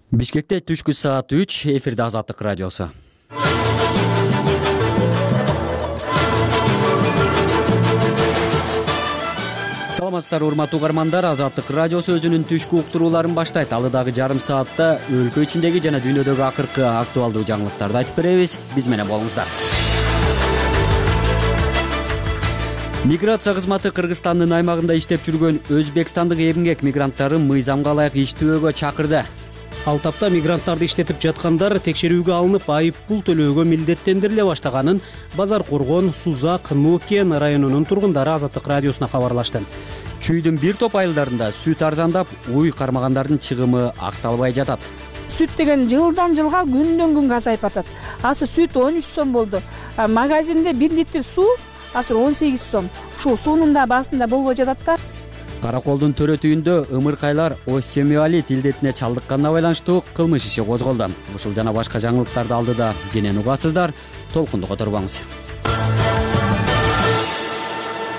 Бишкекте түшкү саат 3 эфирде Азаттык радиосу. Саламатсыздар урматтуу угармандар, Азаттык радиосу өзүнүн түшкү уктурууларын баштайт. Алыдагы жарым саатта өлкө ичиндеги жана дүйнөдөгү акыркы актуалдуу жаңылыктарды айтып беребиз. Биз менен болуңуздар. Миграция кызматы Кыргызстандын аймагында иштеп жүргөн өзбекстандык эмгек мигранттарын мыйзамга ылайык иштөөгө чакырды. Ал тапта мигранттарды иштетип жаткандар текшерүүгө алынып, айып пул төлөөгө милдеттендириле баштаганын Базар Коргон, Сузак, Нукен районунун тургундары Азаттык радиосуна кабарлашты. Чүйдүн бир топ айылдарында сүт арзандап, уй кармагандардын чыгымы акталбай жатат. Сүт деген жылдан жылга күндөн күнгө азайып атат. Азыр сүт 13 сом болду. Магазинде 1 литр суу азыр 18 сом. Ушул суунун да баасында болбой жатат да. Караколдун төрөтүүндө ымыркайлар остеомиолит илдетине чалдыкканына байланыштуу кылмыш иши козголду. Ушул жана башка жаңылыктарды алдыда кенен угасыздар. Толкунду которбоңуз.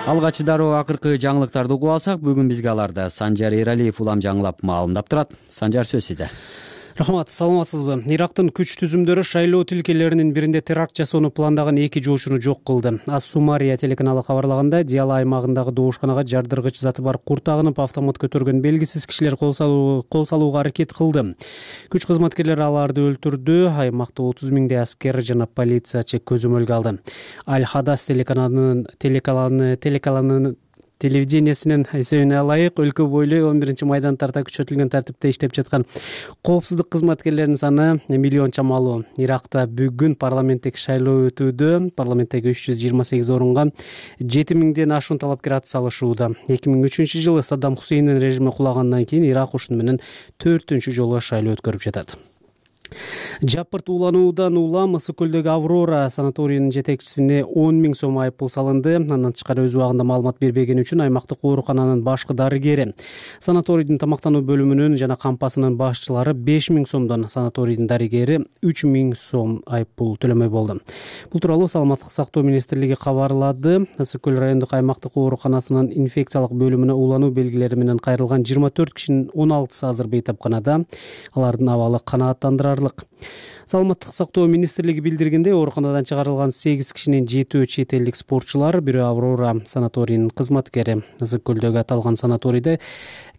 Алгач дароо акыркы жаңылыктарды угуп алсак, бүгүн бизге аларды Санжар Эралиев улам жаңылап маалымдап турат. Санжар, сөз сизде. Рахмат, саламатсызбы? Ирактын күч түзүмдөрү шайлоо тилкелеринин биринде теракт жасоону пландаган 2 жоочуну жок кылды. Ас-Сумария телеканалы кабарлаганда, Диала аймагындагы доошканага жардыргыч заты бар курт агынып, автомат көтөргөн белгисиз кишилер кол салууга аракет кылды. Күч кызматкерлери аларды өлтүрдү. Аймакта 30 миңдей аскер жана полициячы көзөмөлгө алды. Аль-Хадас телеканалынын телевидениесинин эсебине алайык, өлкө бойлуу 11 майдан тарта күчөтүлгөн тартипте иштеп жаткан коопсуздук кызматкерлеринин саны миллион чамалуу. Иракта бүгүн парламенттик шайлоо өтүүдө. Парламенттеги 328 орунга 7000ден ашуун талапкер ат салышууда. 2003-жылы Саддам Хусейндин режими кулагандан кийин Ирак ушуну менен 4-үнчү жолу шайлоо өткөрүп жатат. Жапырт улануудан улам Ысык көлдөгү Аврора санаторийинин жетекчисине 10 000 сом айып пул салынды. Андан тышкары өз убагында маалымат бербегени үчүн аймактык оорукананын башкы дарыгери, санаторийдин тамактануу бөлүмүнүн жана кампасынын башчылары 5 000 сомдон, санаторийдин дарыгери 3 000 сом айып пул төлөмөй болду. Бул тууралуу Саламаттык сактоо министрлиги кабарлады. Ысык көл райондук аймактык ооруканасынын инфекциялык бөлүмүнө улануу белгилери менен кайрылган 24 кишинин 16сы азыр бейтапканада. Алардын абалы канааттандырарлык. Саламаттык сактоо министрлиги билдиргендей, ооруканадан чыгарылган 8 кишинин 7-өө чет элдик спортчулар, бирөө Аврора санаторийинин кызматкери. Ысык көлдөгү аталган санаторийде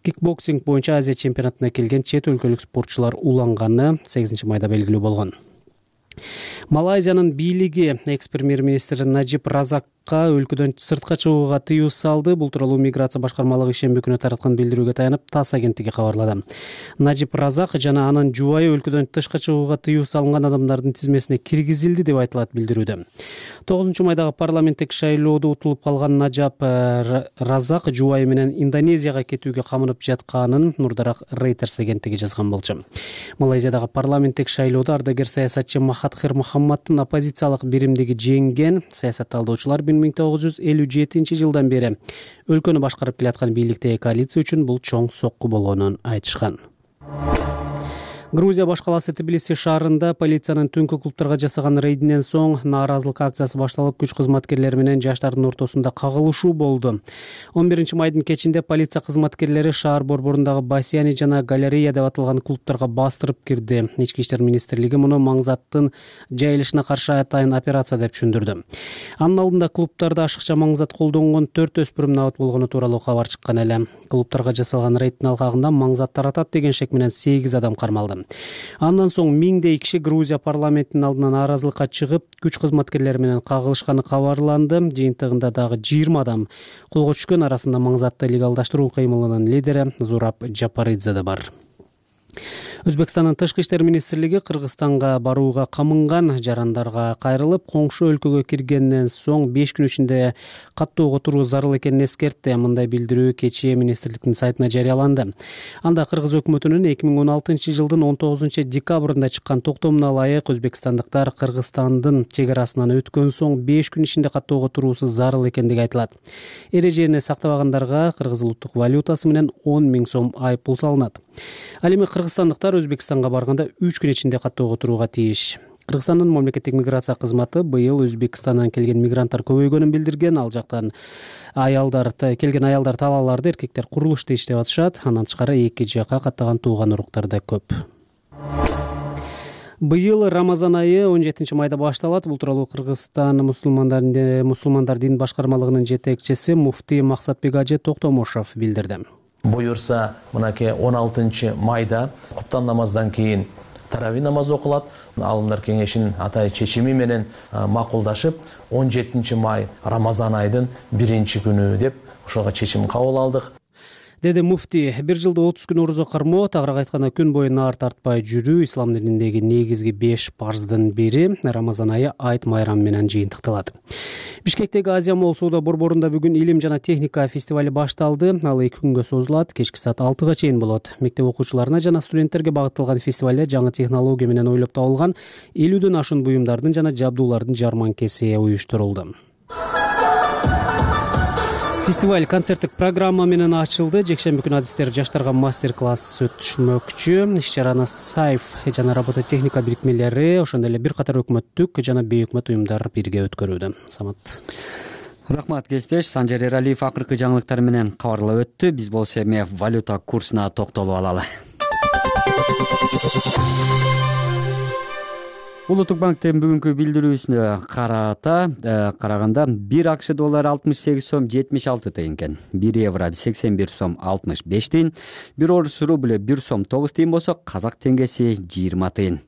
кикбоксинг боюнча Азия чемпионатына келген чет өлкөлүк спортчулар уланганы 8 майда белгилүү болгон. Малайзиянын бийлиги экс-премьер-министр Наджиб Разакка өлкөдөн сыртка чыгууга тыюу салды. Бул тууралуу миграция башкармалыгы шемби күнү тараткан билдирүүгө таянып ТАСС агенттиги кабарлады. Наджиб Разак жана анын жубайы өлкөдөн тышка чыгууга тыюу салынган адамдардын тизмесине киргизилди деп айтылат билдирүүдө. 9 майдагы парламенттик шайлоодо утулуп калган Наджиб Разак жубайы менен Индонезияга кетүүгө камынып жатканын мурдараак Reuters агенттиги жазган болчу. Малайзиядагы парламенттик шайлоодо ардагер саясатчы Махатхир Мухаммаддын оппозициялык биримдиги жеңген. Саясатталдоочулар 1957 жылдан бери өлкөнү башкарып келаткан бийликтеги коалиция үчүн бул чоң сокку болгонун айтышкан. Грузия башкаласы Тбилиси шаарында полициянын түнкү клубтарга жасаган рейдинен соң нааразылык акциясы башталып, күч кызматкерлери менен жаштардын ортосунда кагылышуу болду. 11 майдын кечинде полиция кызматкерлери шаар борборундагы бассейн жана галерея деп аталган клубтарга бастырып кирди. Ички иштер министрлиги муну маңзаттын жайылышына каршы атайын операция деп түшүндүрдү. Анын алдында клубтарда ашыкча маңзат колдонгон 4 өспүрүм набат болгону тууралуу кабар чыккан эле. Клубтарга жасалган рейдтин алкагында маңзат таратат деген шек менен 8 адам кармалды. Андан соң миңдей киши Грузия парламентинин алдына нааразылыкка чыгып, күч кызматкерлери менен кагылышканы кабарланды. Жыйынтыгында дагы 20 адам колго түшкөн, арасында маңзатты легалдаштыруу кыймылынын лидери Зураб Жапаридзе да бар. Өзбекстандын тышкы иштер министрлиги Кыргызстанга барууга камынган жарандарга кайрылып, коңшу өлкөгө киргенден соң 5 күн ичинде каттуу отуруу зарыл экенин эскертти. Мындай билдирүү кечээ министрликтин сайтына жарыяланды. Анда Кыргыз өкмөтүнүн 2016 жылдын 19 декабрында чыккан токтомуна ылайык Өзбекстандыктар Кыргызстандын чек арасынан өткөн соң 5 күн ичинде каттуу отуруусу зарыл экендиги айтылат. Эрежени сактабагандарга кыргыз улуттук валютасы менен 10 000 сом айып пул салынат. Ал эми кыргызстандыктар Өзбекстанга барганда 3 күн ичинде каттуу отурууга тийиш. Кыргызстандын мамлекеттик миграция кызматы быйыл Өзбекстандан келген мигранттар көбөйгөнүн билдирген. Ал жактан келген аялдар талааларды, эркектер курулушта иштеп атышат. Андан тышкары эки жака каттаган тууган уруктар да көп. Быйыл Рамазан айы 17 майда башталат. Бул тууралуу Кыргызстан мусулмандар дин башкармалыгынын жетекчиси муфтий Максатбек Ажы Токтомушов билдирди. Буюрса, мынакей 16 майда куптан намаздан кийин тарави намазы окулат. Алымдар кеңешинин атай чечими менен макулдашып, 17 май Рамазан айдын 1-күнү деп ошого чечим кабыл алдык. Деди муфтий, бир жылда 30 күн орозо кармоо, тагыраак айтканда күн бою наар тартпай жүрүү ислам дининдеги негизги 5 парздын бири. Рамазан айы айт майрам менен жыйынтыкталат. Бишкектеги Азия Молл соода борборунда бүгүн илим жана техника фестивали башталды. Ал 2 күнгө созулат, кечки саат 6-га чейин болот. Мектеп окуучуларына жана студенттерге багытталган фестивалде жаңы технология менен ойлоп табылган 50дөн ашуун буюмдардын жана жабдуулардын жарманкеси уюштурулду. Фестиваль концерттик программа менен ачылды. Жекшемби күнү адистер жаштарга мастер-класс өтүшмөкчү. Иш-чараны Сайф жана робототехника бирикмелери, ошондой эле бир катар өкмөттүк жана бейөкмөт уюмдар бирге өткөрүүдө. Самат. Рахмат Кесбеш. Санжар Эралиев акыркы жаңылыктар менен кабарлап өттү. Биз болсо эми валюта курсуна токтолуп алалы. Улуттук банктын бүгүнкү билдирүүсүнө караганда 1 АКШ доллары 68 сом 76 тыйын экен. 1 евро 81 сом 65 тыйын. 1 орус рубль 1 сом 9 тыйын болсо, казак теңгеси 20 тыйын.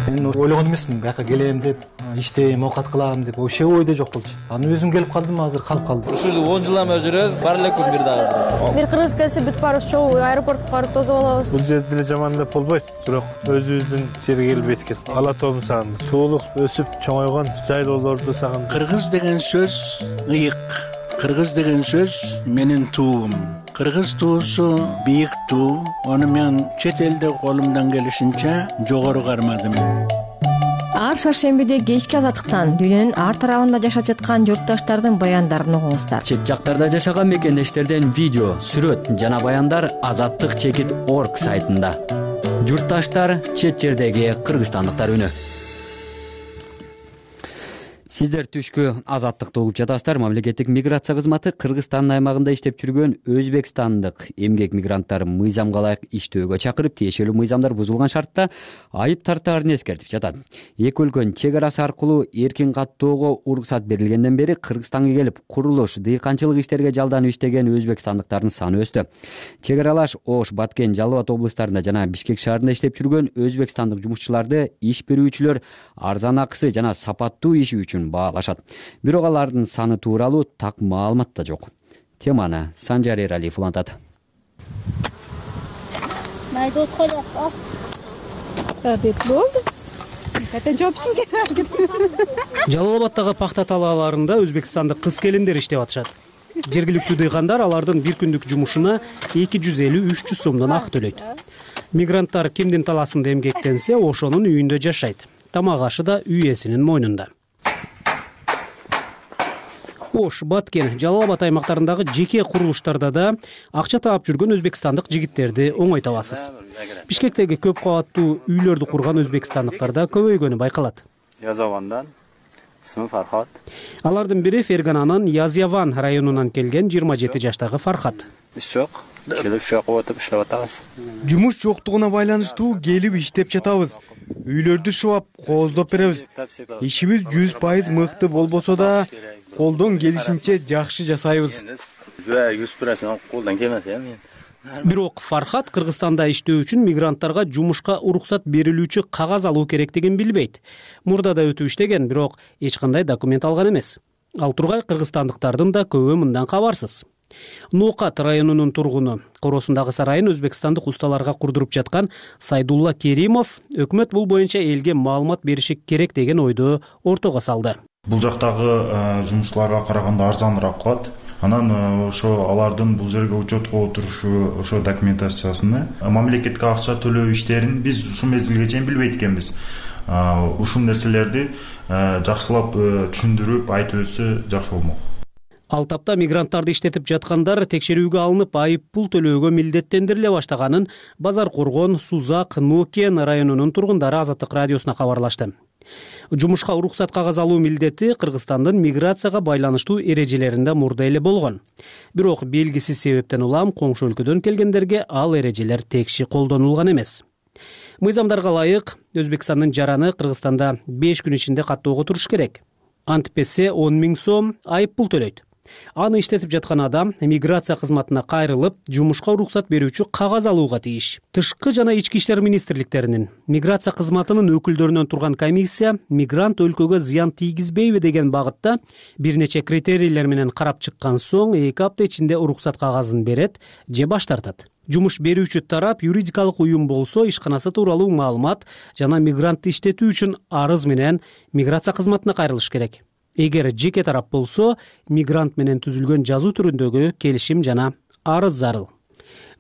Мен ойлогон эмесмин, бияка келем деп, иштейм, оокат кылам деп, вообще ойдо жок болчу. Анан өзүм келип калдым, азыр калып калдым. Ушу 10 жылдан бери жүрөбүз, бар эле күн бир дагы. Бир кыргыз келсе бүт барыбыз чогуу аэропортко барып тосуп алабыз. Бул жерде деле жаман деп болбойт, бирок өзүбүздүн жерге келип эткет. Ала тоом сагындык, туулук өсүп чоңойгон жайлоолорду сагындык. Кыргыз деген сөз ыйык. Кыргыз деген сөз менин туум. Кыргыз туусу бийик туу. Аны мен чет элде колумдан келишинче жогору кармадым. Ар шаршембиде кечки азаттыктан дүйнөнүн ар тарабында жашап жаткан журтташтардын баяндарын угуңуздар. Чет жактарда жашаган мекендештерден видео, сүрөт жана баяндар azattik.org сайтында. Журтташтар, чет жердеги кыргызстандыктар үнү. Сиздер түшкү азаттыкты угуп жатасыздар. Мамлекеттик миграция кызматы Кыргызстандын аймагында иштеп жүргөн өзбекстандык эмгек мигранттар мыйзамга ылайык иштөөгө чакырып, тиешелүү мыйзамдар бузулган шартта айып тартаарын эскертип жатат. Эки өлкөнүн чек арасы аркылуу эркин каттоого уруксат берилгенден бери Кыргызстанга келип, курулуш, дыйканчылык иштерге жалданып иштеген өзбекстандыктардын саны өстү. Чек аралаш Ош, Баткен, Жалал Абад облустарында жана Бишкек шаарында иштеп жүргөн өзбекстандык жумушчуларды иш берүүчүлөр арзан акысы жана сапаттуу иши үчүн баалашат. Бирок алардын саны тууралуу так маалымат да жок. Теманы Санжар Эралиев улантат. Жалал Абадтагы пахта талааларында өзбекстандык кыз-келиндер иштеп атышат. Жергиликтүү дыйкандар алардын бир күндүк жумушуна 250-300 сомдон акы төлөйт. Мигранттар кимдин таласында эмгектенсе, ошонун үйүндө жашайт. Тамак ашы да үй ээсинин мойнунда. Ош, Баткен, Жалал Абад аймактарындагы жеке курулуштарда да акча таап жүргөн өзбекстандык жигиттерди оңой табасыз. Бишкектеги көп кабаттуу үйлөрдү курган өзбекстандыктар да көбөйгөнү байкалат. Язавандан исми Фархат. Алардын бири Фергананын Язяван районунан келген 27 жаштагы Фархат. Иш жок. Келип шок отуп иштеп атабыз. Жумуш жоктугуна байланыштуу келип иштеп жатабыз. Үйлөрдү шубап, кооздоп беребиз. Ишибиз 100% мыкты болбосо да, колдон келишинче жакшы жасайбыз. 100% колдон келмес эми. Бирок Фархат Кыргызстанда иштөө үчүн мигранттарга жумушка уруксат берилүүчү кагаз алуу керектигин билбейт. Мурда да өтүп иштеген, бирок эч кандай документ алган эмес. Ал тургай кыргызстандыктардын да көбү мындан кабарсыз. Ноокат районунун тургуну, Коросундагы сарайын өзбекстандык усталарга курдуруп жаткан Сайдулла Керимов өкмөт бул боюнча элге маалымат бериши керек деген ойду ортого салды. Бул жактагы жумуштууларга караганда арзаныраак калат. Анан ошо алардын бул жерге учетко отурушу, ошо документациясыны, мамлекетке акча төлөө иштерин биз ушул мезгилге чейин билбейт экенбиз. Ушул нерселерди жакшылап түшүндүрүп айтып өтсө жакшы болмок. Ал тапта мигранттарды иштетип жаткандар текшерүүгө алынып, айып пул төлөөгө милдеттендириле баштаганын Базар Коргон, Сузак, Нокен районунун тургундары Азаттык радиосуна кабарлашты. Жумушка уруксат кагаз алуу милдети Кыргызстандын миграцияга байланыштуу эрежелеринде мурда эле болгон. Бирок белгисиз себептен улам коңшу өлкөдөн келгендерге ал эрежелер текши колдонулган эмес. Мыйзамдарга ылайык Өзбекстандын жараны Кыргызстанда 5 күн ичинде каттоого туруш керек. Антпесе 10 000 сом айып пул төлөйт. Аны иштетип жаткан адам миграция кызматына кайрылып, жумушка уруксат берүүчү кагаз алууга тийиш. Тышкы жана ички иштер министрликтеринин миграция кызматынын өкүлдөрүнөн турган комиссия мигрант өлкөгө зыян тийгизбейби деген багытта бир нече критерийлер менен карап чыккан соң 2 апта ичинде уруксат кагазын берет же баш тартат. Жумуш берүүчү тарап юридикалык уюм болсо, ишканасы тууралуу маалымат жана мигрантты иштетүү үчүн арыз менен миграция кызматына кайрылыш керек. Эгер жеке тарап болсо, мигрант менен түзүлгөн жазуу түрүндөгү келишим жана арыз зарыл.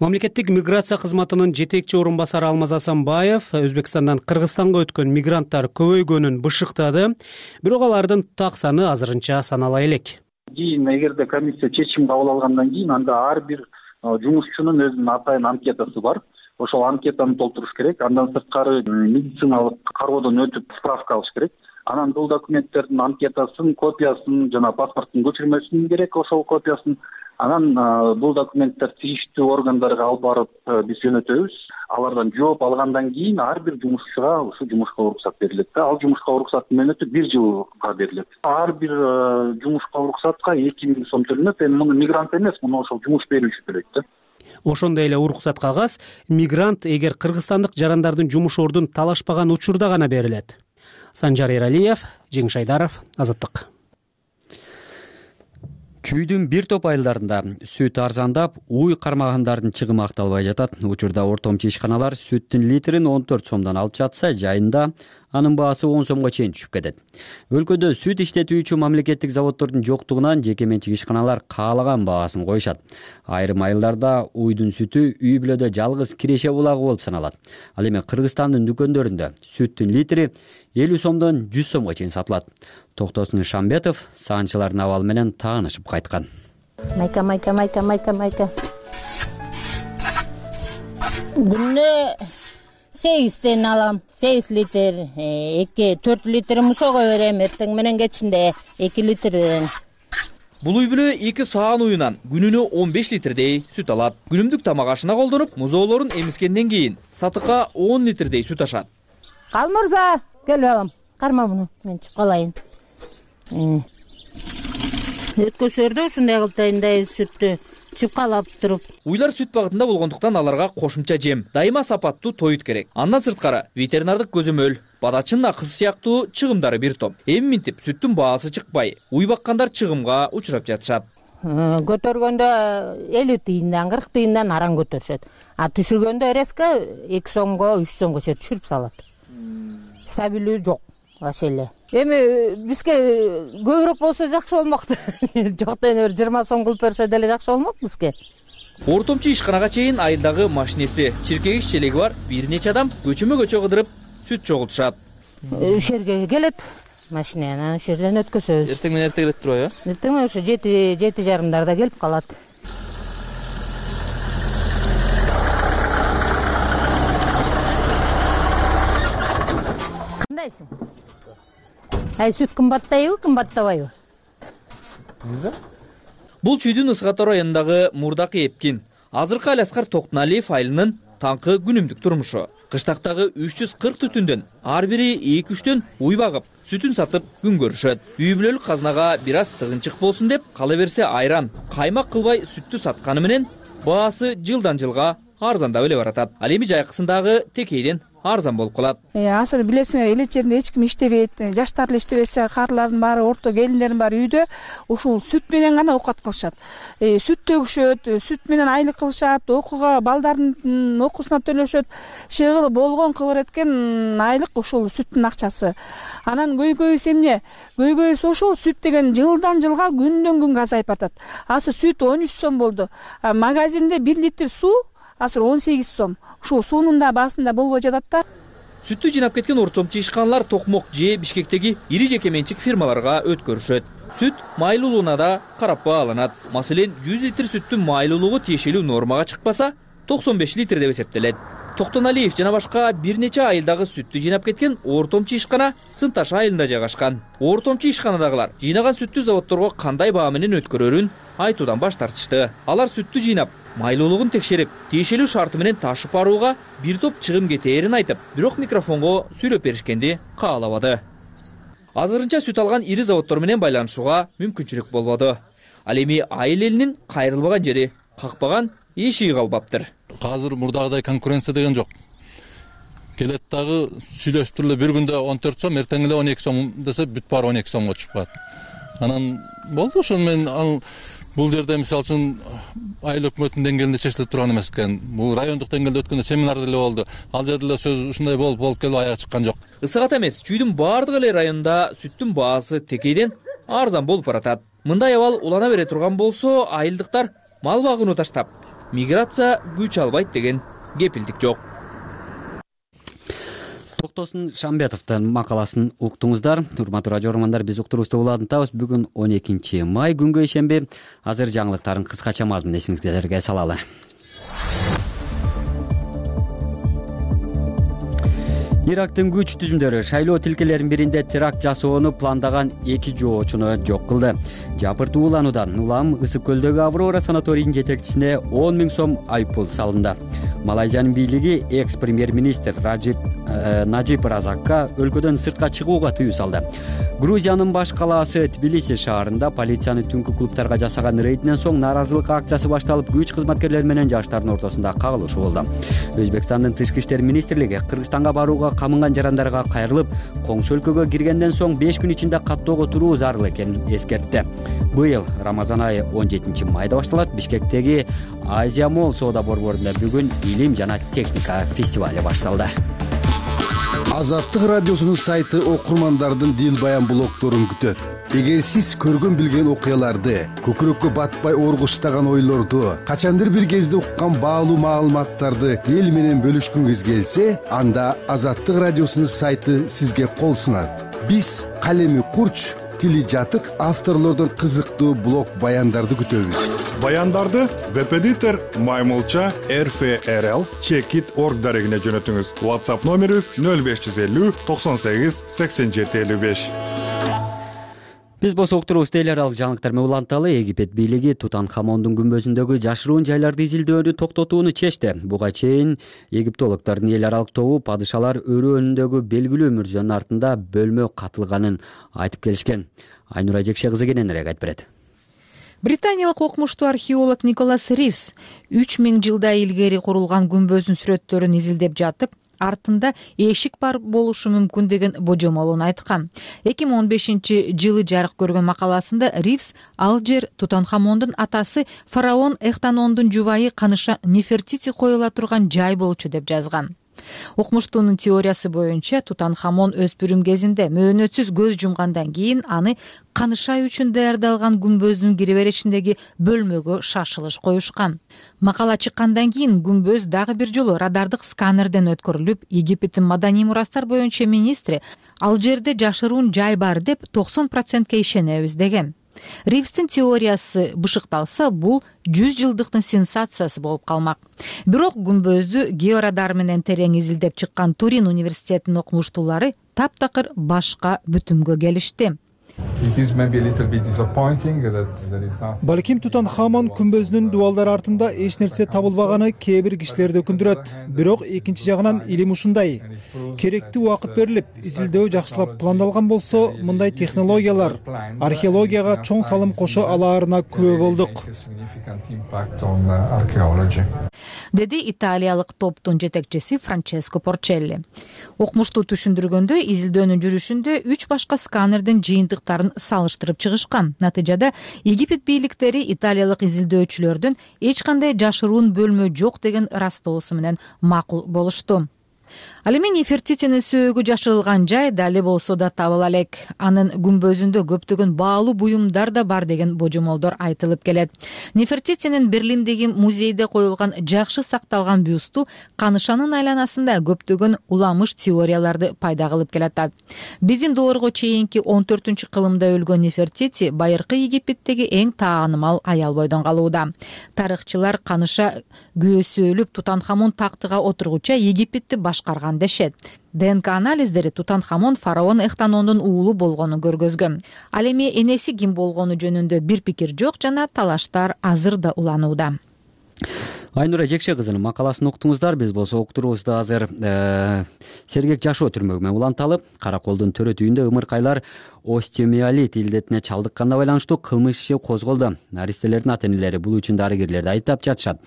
Мамлекеттик миграция кызматынын жетекчи орун басары Алмаз Асанбаев Өзбекстандан Кыргызстанга өткөн мигранттар көбөйгөнүн бышыктады, бирок алардын так саны азырынча санала элек. Кийин эгерде комиссия чечим кабыл алгандан кийин анда ар бир жумушчунун өзүнүн атайын анкетасы бар. Ошол анкетаны толтуруш керек. Андан сырткары медициналык кароодон өтүп справка алыш керек. Анан бул документтердин анкетасын, копиясын жана паспорттун көчүрмөсүн керек, ошол копиясын. Анан бул документтер тийиштүү органдарга алып барып биз жөнөтөбүз. Алардан жооп алгандан кийин ар бир жумушчуга ушул жумушка уруксат берилет. Ал жумушка уруксаттын мөөнөтү 1 жылга берилет. Ар бир жумушка уруксатка 2 000 сом төлөнөт. Эми муну мигрант эмес, муну ошол жумуш берүүчү төлөйт да. Ошондой эле уруксат кагаз мигрант эгер кыргызстандык жарандардын жумуш ордун талашпаган учурда гана берилет. Санжар Эралиев, Жеңиш Айдаров, Азаттык. Күйдүн бир топ айылдарында сүт арзандап, уй кармагандардын чыгымы акталбай жатат. Учурда ортомчу ишканалар сүттүн литрин 14 сомдон алып жатса, жайында анын баасы 10 сомго чейин түшүп кетет. Өлкөдө сүт иштетүүчү мамлекеттик заводдордун жоктугунан жеке менчик ишканалар каалаган баасын коюшат. Айрым айылдарда уйдун сүтү үй бүлөдө жалгыз киреше булагы болуп саналат. Ал эми Кыргызстандын дүкөндөрүндө сүттүн литри 50 сомдон 100 сомго чейин сатылат. Токтосун Шамбетов саанчылардын абалы менен таанышып кайткан. Майка. Күнүнө 8 алам. 8 литр, 2-4 литр мусого берем, эртең менен кечинде 2 литрден. Бул үй бүлө 2 саан уюнан күнүнө 15 литрдей сүт алат. Күнүмдүк тамак ашына колдонуп, музоолорун эмискенден кийин сатыкка 10 литрдей сүт ашат. Кал мырза, кел балам. Карма муну, мен чыгып калайын. Өткөсөрдө ушундай кылтайындай сүттү чыпкалап туруп. Уйлар сүт багытында болгондуктан аларга кошумча жем, дайыма сапаттуу тоют керек. Андан сырткары ветеринардык көзөмөл, бадачынын акысы сыяктуу чыгымдары бир топ. Эми минтип сүттүн баасы чыкпай, уй баккандар чыгымга учурап жатышат. Көтөргөндө 50 тыйындан 40 тыйындан аран көтөрүшөт. А түшүргөндө резко 2 сомго 3 сомго чейин түшүрүп салат. Стабилдүү жок вообще эле. Эми бизге көбүрөөк болсо жакшы болмокту. Жоктон 20 сом кылып берсе деле жакшы болмок бизге. Ортомчу ишканага чейин айылдагы машинеси, чиркегич челеги бар бир нече адам көчөмө-көчө кыдырып сүт чогултушат. Ушерге келет машина, анан ошол жерден өткөзөбүз. Эртең менен эрте келет турбайбы? Эртең ошо 7:30 келип калат. Кандайсың? Сүт кымбаттайбы, кымбаттабайбы? Бул Чүйдүн Ысгатор районундагы Мурдакы Эпкин. Азыркы Аласкар Токтоналиев айылынын таңкы күнүмдүк турмушу. Кыштактагы 340 түтүндөн ар бири 2-3төн уй багып, сүтүн сатып күн көрүшөт. Үй бүлөлүк казнага бир аз тыгынчык болсун деп, кала берсе айран, каймак кылбай сүттү сатканы менен баасы жылдан жылга арзандап эле баратат. Ал эми жайкысындагы текейден арзан болуп калат. Азыр билесиңер, эле жеринде эч ким иштебейт, жаштар эле иштебесе, карлардын баары, орто келиндердин баары үйдө ушул сүт менен гана оокат кылышат. Сүт төгүшөт, сүт менен айлык кылышат, окууга балдардын окуусуна төлөшөт. Шыгыл болгон кыбыр эткен айлык ушул сүттүн акчасы. Анан көйгөйүсү эмне? Көйгөйүсү ошол сүт деген жылдан жылга күндөн күнгө азайып атат. Азыр сүт 13 сом болду. Магазинде 1 литр суу азыр 18 сом. Ушул суунун да баасында болбой жатат да. Сүттү жыйнап кеткен ортомчу ишканалар Токмок же Бишкектеги ири жеке менчик фирмаларга өткөрүшөт. Сүт майлуулугуна да карап бааланат. Маселен, 100 литр сүттүн майлуулугу тиешелүү нормага чыкпаса, 95 литр деп эсептелет. Токтоналиев жана башка бир нече айылдагы сүттү жыйнап кеткен ортомчу ишкана Сымташ айылында жайгашкан. Ортомчу ишканадагылар жыйнаган сүттү заводдорго кандай баа менен өткөрөрүн айтуудан баш тартышты. Алар сүттү жыйнап, майлуулугун текшерип, тиешелүү шарты менен ташып барууга бир топ чыгым кетээрин айтып, бирок микрофонго сүйлөп беришкенди каалабады. Азырынча сүт алган ири заводдор менен байланышууга мүмкүнчүлүк болбоду. Ал эми айыл элинин кайрылбаган жери, какпаган эшиги калбаптыр. Азыр мурдагыдай конкуренция деген жок. Келет дагы сүйлөшүп туруп эле бир күндө 14 сом, эртең эле 12 сом десе бүт баары 12 сомго чыгып калат. Анан болду, ошону мен бул жерде мисалы үчүн айыл өкмөтүнүн деңгээлинде чечилип турган эмес экен. Бул райондук деңгээлде өткөндө семинар деле болду. Ал жерде эле сөз ушундай болуп келип аяга чыккан жок. Ысык ата эмес, чүйдүн баардык эле районунда сүттүн баасы текейден арзан болуп баратат. Мындай абал улана бере турган болсо, айылдыктар мал багууну таштап, миграция күч албайт деген кепилдик жок. Токтосун Шамбетовдун макаласын уктуңуздар. Урматтуу радио көрөрмандар, биз уктуруубузду улантабыз. Бүгүн 12 май күнгө ишемби. Азыр жаңылыктарын кыскача мазмун эсиңизге салалы. Ирактын күч түзүмдөрү шайлоо тилкелеринин биринде теракт жасоону пландаган 2 жоочуну жок кылды. Жапырт уулануудан улам Ысык көлдөгү Аврора санаторийинин жетекчисине 10 000 сом айыппул салынды. Малайзиянын бийлиги экс-премьер-министр Нажиб Разакка өлкөдөн сыртка чыгууга тыюу салды. Грузиянын баш калаасы Тбилиси шаарында полициянын түнкү клубтарга жасаган рейдинен соң нааразылык акциясы башталып, күч кызматкерлери менен жаштардын ортосунда кагылышуу болду. Өзбекстандын тышкы иштер министрлиги Кыргызстанга барууга камынган жарандарга кайрылып, коңшу өлкөгө киргенден соң 5 күн ичинде каттоого туруу зарыл экенин эскертти. Быйыл Рамазан айы 17 майда башталат. Бишкектеги Азия Молл соода борборунда бүгүн илим жана техника фестивали башталды. Азаттык радиосунун сайты окурмандардын дил баян блогторун күтөт. Эгер сиз көргөн билген окуяларды, көкүрөккө батпай оргуштаган ойлорду, качандыр бир кезде уккан баалуу маалыматтарды эл менен бөлүшкүңүз келсе, анда Азаттык радиосунун сайты сизге кол сунат. Биз калеми курч, тили жатык авторлордун кызыктуу блог баяндарды күтөбүз. Баяндарды веб-эдитор Маймылча RFRL Checkit.org дарегине жөнөтүңүз. WhatsApp номерибиз 0550 98 87 55. Биз болсо уктуруубузду эл аралык жаңылыктар менен уланталы. Египет бийлиги Тутанхамондун күмбөзүндөгү жашыруун жайларды изилдөөнү токтотууну чечти. Буга чейин египтологдордун эл аралык тобу падышалар өрөөнүндөгү белгилүү мүрзөнүн артында бөлмө катылганын айтып келишкен. Айнура Жекше кызы кененирээк айтып берет. Британиялык окумуштуу археолог Николас Ривс 3000 жылда илгери курулган күмбөздүн сүрөттөрүн изилдеп жатып, артында эшик бар болушу мүмкүн деген божомолун айткан. 2015-жылы жарык көргөн макаласында Ривс ал жер Тутанхамондун атасы фараон Эхтанондун жубайы каныша Нефертити коюла турган жай болчу деп жазган. Окумуштуунун теориясы боюнча Тутанхамон өспүрүм кезинде мөөнөтсүз көз жумгандан кийин аны канышай үчүн даярдалган күмбөздүн киреберишиндеги бөлмөгө шашылыш коюшкан. Макала чыккандан кийин күмбөз дагы бир жолу радардык сканерден өткөрүлүп, Египеттин маданий мурастар боюнча министри ал жерде жашыруун жай бар деп 90%ке ишенебиз деген. Ривстин теориясы бышыкталса, бул 100 жылдыктын сенсациясы болуп калмак. Бирок күмбөздү георадар менен терең изилдеп чыккан Турин университетинин окумуштуулары таптакыр башка бүтүмгө келишти. Балким Тутанхамон күмбөзүнүн дубалдары артында эч нерсе табылбаганы кээ бир кишилерди өкүндүрөт. Бирок экинчи жагынан илим ушундай. Керектүү убакыт берилип, изилдөө жакшылап пландалган болсо, мындай технологиялар археологияга чоң салым кошо алаарына күбө болдук. Деди италиялык топтун жетекчиси Франческо Порчелли. Окумуштуу түшүндүргөндө, изилдөөнүн жүрүшүндө 3 башка сканердин жыйынтыктарын салыштырып чыгышкан. Натыйжада Египет бийликтери италиялык изилдөөчүлөрдүн эч кандай жашыруун бөлмө жок деген ырастоосу менен макул болушту. Ал эми Нефертитинин сөөгү жашырылган жай дали болсо да табыла элек. Анын күмбөзүндө көптөгөн баалуу буюмдар да бар деген божомолдор айтылып келет. Нефертитинин Берлиндеги музейде коюлган жакшы сакталган бюсту канышанын айланасында көптөгөн уламыш теорияларды пайда кылып келатат. Биздин доорго чейинки 14-кылымда өлгөн Нефертити байыркы Египеттеги эң таанымал аял бойдон калууда. Тарыхчылар каныша күйөөсү өлүп Тутанхамон тактыга отургуча Египетти башкарган дешет. ДНК анализдери Тутанхамон фараон Эхтанондун уулу болгонун көргөзгөн. Ал эми энеси ким болгону жөнүндө бир пикир жок жана талаштар азыр да уланууда. Айнура Жекше кызынын макаласын уктуңуздар. Биз болсо уктуруубузду азыр сергек жашоо түрмөгү менен уланталы. Караколдун төрөтүйүндө ымыркайлар остеомиелит илдетине чалдыкканына байланыштуу кылмыш иши козголду. Наристелердин ата-энелери бул үчүн дарыгерлерди айыптап жатышат.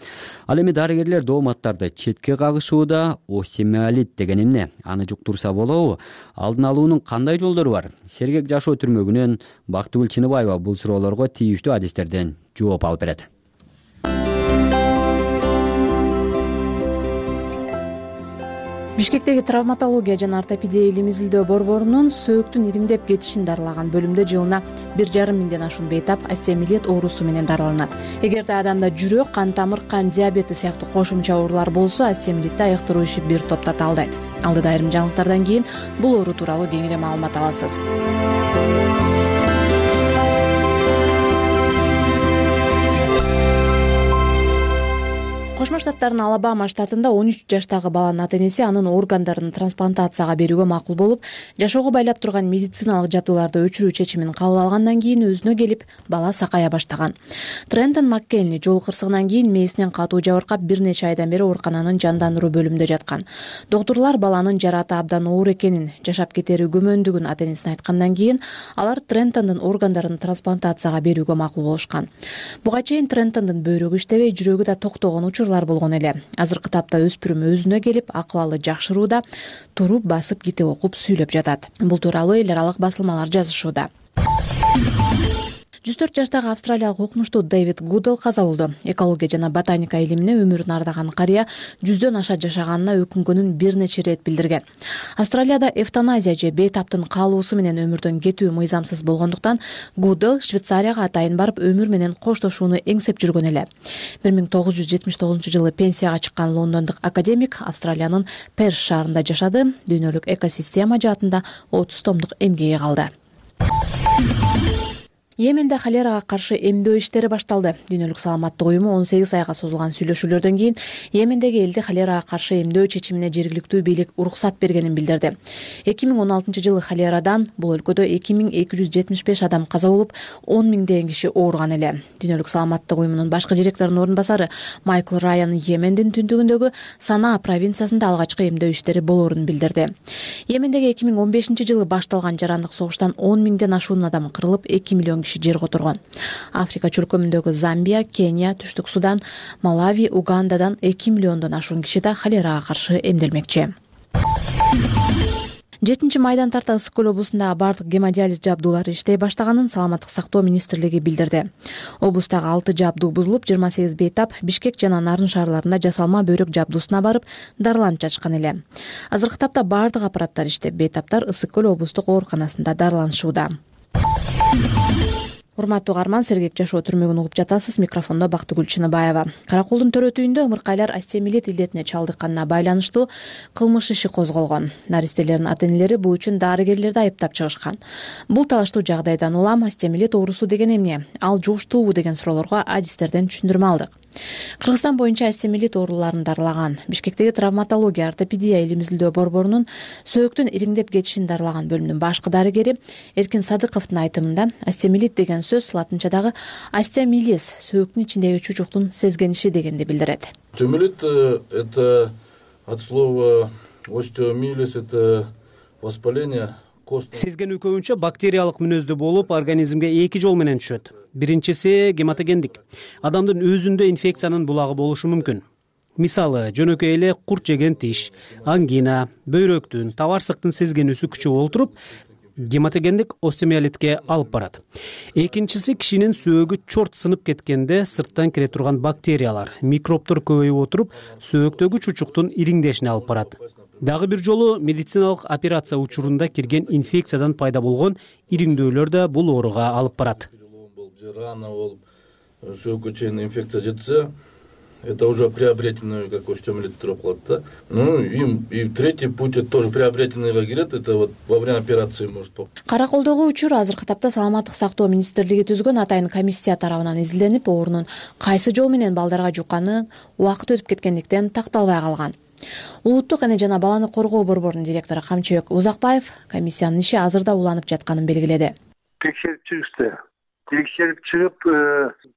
Ал эми дарыгерлер дооматтарды четке кагышууда. Остеомиелит деген эмне? Аны жуктурса болобу? Алдын алуунун кандай жолдору бар? Сергек жашоо түрмөгүнөн Бактыгүл Чыныбаева бул суроолорго тийиштүү адистерден жооп алып берет. Бишкектеги травматология жана ортопедия илим изилдөө борборунун сөөктүн ириңдеп кетишин дарылаган бөлүмдө жылына 1,5 миңден ашуун бейтап остеомиелит оорусу менен дарыланат. Эгерде адамда жүрөк, кан тамыр, кан диабети сыяктуу кошумча оорулар болсо, остеомиелитти айыктыруу иши бир топто талдайт. Алдыда айрым жаңылыктардан кийин бул оору тууралуу кеңири маалымат аласыз. Кошмо Штаттардын Алабама штатында 13 жаштагы баланын ата-энеси анын органдарын трансплантацияга берүүгө макул болуп, жашоого байлап турган медициналык жабдууларды өчүрүү чечимин кабыл алгандан кийин өзүнө келип, бала сакая баштаган. Трентон Маккенли жол кырсыгынан кийин мээсинен катуу жабыркап бир нече айдан бери оорукананын жандандыруу бөлүмүндө жаткан. Доктурлар баланын жараты абдан оор экенин, жашап кетери күмөндүгүн ата-энесине айткандан кийин алар Трентондун органдарын трансплантацияга берүүгө макул болушкан. Буга чейин Трентондун бөйрөгү иштебей, жүрөгү да токтогон болгон эле. Азыркы тапта өспүрүм өзүнө келип, акыбалы жакшырууда, туруп, басып, китеп окуп, сүйлөп жатат. Бул тууралуу эл аралык басылмалар жазышууда. 104 жаштагы австралиялык окумуштуу Дэвид Гудел каза болду. Экология жана ботаника илимине өмүрүн ардаган карыя 100дөн аша жашаганына өкүнгөнүн бир нече ирет билдирген. Австралияда эвтаназия же бейтаптын каалоосу менен өмүрдөн кетүү мыйзамсыз болгондуктан Гудел Швейцарияга атайын барып өмүр менен коштошууну эңсеп жүргөн эле. 1979-жылы пенсияга чыккан лондондук академик Австралиянын Перс шаарында жашады. Дүйнөлүк экосистема жаатында 30 томдук эмгеги калды. Йеменде холерага каршы эмдөө иштери башталды. Дүйнөлүк саламаттык уюму 18 айга созулган сүйлөшүүлөрдөн кийин Йемендеги элди холерага каршы эмдөө чечимине жергиликтүү бийлик уруксат бергенин билдирди. 2016-жылы холерадан бул өлкөдө 2275 адам каза болуп, 10 миңдеген киши ооруган эле. Дүйнөлүк саламаттык уюмунун башкы директорунун орун басары Майкл Райан Йемендин түндүгүндөгү Санаа провинциясында алгачкы эмдөө иштери болоорун билдирди. Йемендеги 2015-жылы башталган жарандык согуштан 10 миңден ашуун адам кырылып, 2 миллион жер которгон. Африка чөлкөмүндөгү Замбия, Кения, Түштүк Судан, Малави, Угандадан 2 миллиондон ашуун киши да холерага каршы эмделмекчи. 7-майдан тарта Ысык көл облусундагы бардык гемодиализ жабдуулары иштей баштаганын Саламаттык сактоо министрлиги билдирди. Облустагы 6 жабдуу бузулуп, 28 бейтап Бишкек жана Нарын шаарларында жасалма бөйрөк жабдуусуна барып дарыланып жатышкан эле. Азыркы тапта бардык аппараттар иштеп, бейтаптар Ысык көл облустук ооруканасында дарыланышууда. Урматтуу угарман, сергек жашоо түрмөгүн угуп жатасыз. Микрофондо Бактыгүл Чыныбаева. Караколдун төрөтүйүндө ымыркайлар остеомиелит илдетине чалдыкканына байланыштуу кылмыш иши козголгон. Наристелердин ата-энелери бул үчүн дарыгерлерди айыптап чыгышкан. Бул талаштуу жагдайдан улам остеомиелит оорусу деген эмне? Ал жугуштуубу деген суроолорго адистерден түшүндүрмө алдык. Кыргызстан боюнча остеомиелит ооруларын дарылаган Бишкектеги травматология ортопедия илим изилдөө борборунун сөөктүн ириңдеп кетишин дарылаган бөлүмүнүн башкы дарыгери Эркин Садыковдун айтымында остеомиелит деген сөз латынчадагы остеомилис сөөктүн ичиндеги чучуктун сезгениши дегенди билдирет. Остеомиелит это от слова остеомилис, это воспаление. Сезгенүү көбүнчө бактериялык мүнөздүү болуп, организмге эки жол менен түшөт. Биринчиси гематогендик. Адамдын өзүндө инфекциянын булагы болушу мүмкүн. Мисалы, жөнөкөй эле курт жеген тиш, ангина, бөйрөктүн, табарсыктын сезгенүүсү күчөп олтуруп, гематогендик остеомиелитке алып барат. Экинчиси кишинин сөөгү чорт сынып кеткенде сырттан кире турган бактериялар, микробтор көбөйүп отуруп, сөөктөгү чучуктун ириңдешине алып барат. Дагы бир жолу медициналык операция учурунда кирген инфекциядан пайда болгон ириңдөөлөр да бул ооруга алып барат. Рана болуп, сөөгкө чейин инфекция жетсе, это уже приобретенный как остеомиелит туруп калат да. Ну и третий путь это тоже приобретенныйга кирет, это вот во время операции может быть. Караколдогу учур азыркы тапта Саламаттык сактоо министрлиги түзгөн атайын комиссия тарабынан изилденип, оорунун кайсы жол менен балдарга жукканы убакыт өтүп кеткендиктен такталбай калган. Улуттук эне жана баланы коргоо борборунун директору Камчыбек Узакбаев комиссиянын иши азырда уланып жатканын белгиледи. Текшерип чыгышты. текшерип чыгып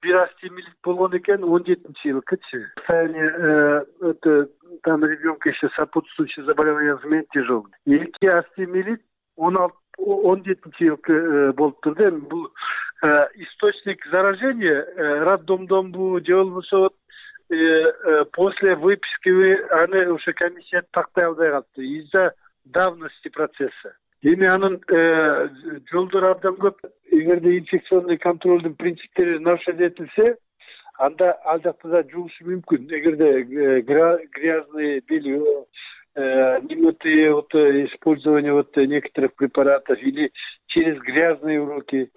бир астемилит болгон экен 17-жылкычы. Это там ребенка еще сопутствующие заболевания в тяжелый. 2 астемилит 17-жылкы болуп турду. Эми бул источник заражения роддомдонбу же болбосо после выписки аны уже комиссия тактай албай калыптыр из-за давности процесса. Эми анын жолдору абдан көп. Эгерде инфекционный контролдун принциптери нарушать этилсе, анда ал жакта да жугушу мүмкүн. Эгерде грязный белье, немытые использование некоторых препаратов или через грязные руки.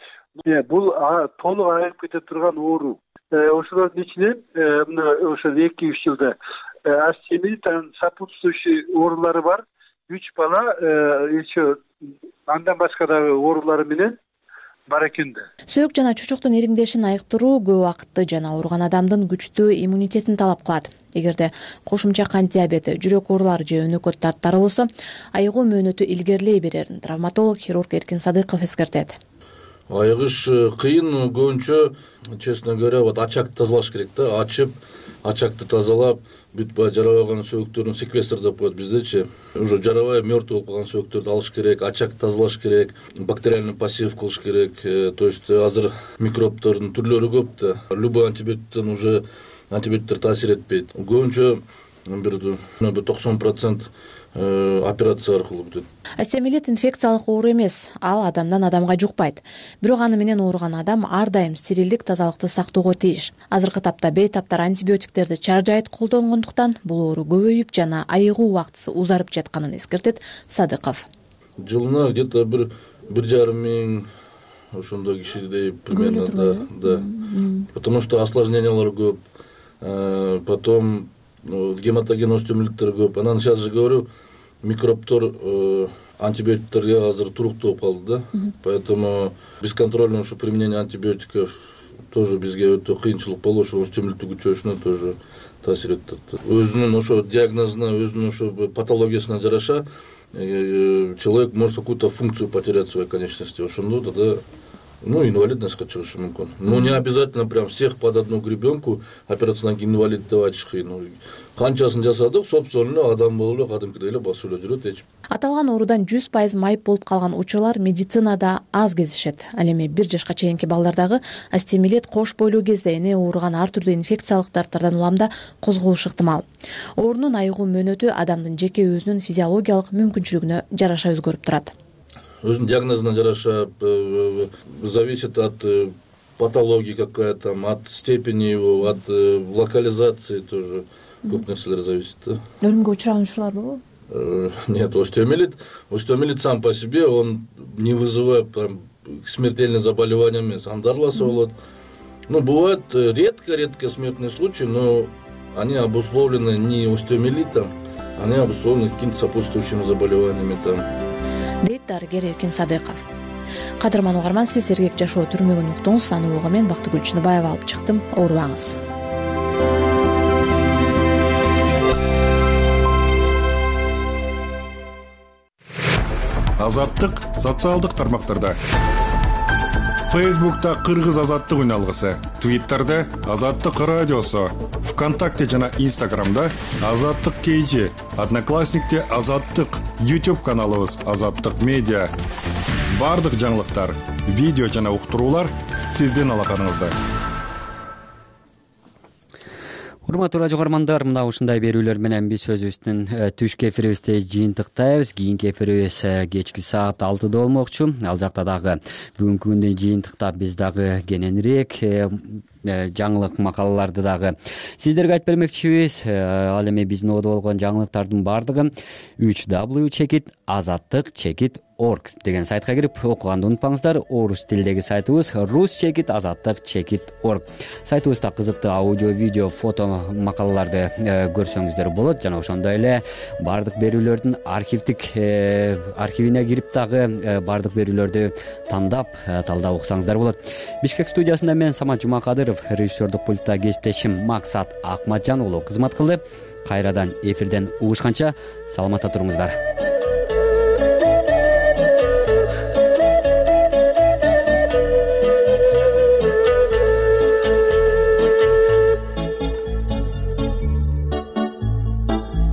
Бул толук айыгып кете турган оору. Ошолордун ичинен ошо 2-3 жылда астемилит, сопутствующий оорулары бар. 3 бала еще андан башка дагы оорулары менен бар экен да. Сөөк жана чучуктун ириңдешин айыктыруу көп убакытты жана ооруган адамдын күчтүү иммунитетин талап кылат. Эгерде кошумча кант диабети, жүрөк оорулары же өнөкөт дарттары болсо, айыгуу мөөнөтү илгерилей берерин травматолог хирург Эркин Садыков эскертет. Айыгыш кыйын, көбүнчө, честно говоря, ачакты тазалаш керек да, ачып, ачакты тазалап, бүт жарабаган сөөктөрүн секвестр деп коет биздечи. Уже жарабай мертвый болуп калган сөөктөрдү алыш керек, ачакты тазалаш керек, бактериальный посев кылыш керек. То есть азыр микробтордун түрлөрү көп да. Любой антибиотиктен уже антибиотиктер таасир этпейт. Көбүнчө бир 90% операция аркылуу бүтөт. Астемилит инфекциялык оору эмес, ал адамдан адамга жукпайт. Бирок аны менен ооруган адам ар дайым стерилдик, тазалыкты сактоого тийиш. Азыркы тапта бейтаптар антибиотиктерди чаржайыт колдонгондуктан бул оору көбөйүп жана айыгуу убактысы узарып жатканын эскертет Садыков. Жылына где-то 1,5 миң ошондой кишидей примерно, да. Потому что осложнениялар көп. Потом гематоген остеомилиттер көп. Анан сейчас же говорю, микробтор антибиотиктерге азыр туруктуу болуп калды да. Поэтому бесконтрольное применение антибиотиков тоже бизге өтө кыйынчылык болуп, ошо остеомилиттин күчөшүнө тоже таасир этет. Өзүнүн ошо диагнозуна, өзүнүн ошо патологиясына жараша человек может какую-то функцию потерять в своей конечности. Ошондо тогда инвалидностька чыгышы мүмкүн. Но не обязательно прям всех под одну гребенку операциядан кийин инвалид деп айтыш кыйын. Канчасын жасадык, собственно, адам болуп эле кадимкидей эле басып эле жүрөт эч. Аталган оорудан 100% майып болуп калган учурлар медицинада аз кездешет. Ал эми 1 жашка чейинки балдардагы астемилит кош бойлуу кезде эне ооруган ар түрдүү инфекциялык дарттардан уламда козголушу ыктымал. Оорунун айыгуу мөөнөтү адамдын жеке өзүнүн физиологиялык мүмкүнчүлүгүнө жараша өзгөрүп турат. Өзүнүн диагнозуна жараша зависит от патологии какая-то, от степени его, от локализации тоже көп нерселер зависит. Өлүмгө учураган учурлар болобу? Нет, остеомилит сам по себе, он не вызывает там смертельные заболевания, андарласа болот. Бывают редко смертные случаи, но они обусловлены не остеомилитом, они обусловлены какими-то сопутствующими заболеваниями там. Дейт дарыгер Эркин Садыков. Кадырман угарман, сиз сергек жашоо түрмөгүн уктуңуз. Аны угуу мен Бактыгүл Чыныбаева алып чыктым. Оорубаңыз. Азаттык социалдык тармактарда. Фейсбукта Кыргыз азаттык үналгысы, Твиттерде Азаттык радиосу, ВКонтакте жана Инстаграмда Азаттык KG, Одноклассникте Азаттык, YouTube каналыбыз Азаттык медиа. Бардык жаңылыктар, видео жана уктуруулар сиздин алаканыңызда. Урматтуу радио угармандар, мына ушундай берүүлөр менен биз өзүбүздүн түшкү эфирибизде жыйынтыктайбыз. Кийинки эфирибиз кечки саат 6 болмокчу. Ал жакта дагы бүгүнкү күндү жыйынтыкта биз дагы кененирээк жаңылык макалаларды дагы сиздерге айтып бермекчибиз. Ал эми биздин одо болгон жаңылыктардын баардыгы www.azattik.org деген сайтка кирип окуганды унутпаңыздар. Орус тилдеги сайтыбыз rus.azattik.org. Сайтыбызда кызыктуу аудио, видео, фото макалаларды көрсөңүздөр болот. Жана ошондой эле баардык берүүлөрдүн архивине кирип дагы баардык берүүлөрдү тандап, талдап окусаңыздар болот. Бишкек студиясында мен Самат Жумакадыров, режиссердук пультта кесиптешим Максат Акматжан уулу кызмат кылды. Кайрадан эфирден угушканча саламатта туруңуздар.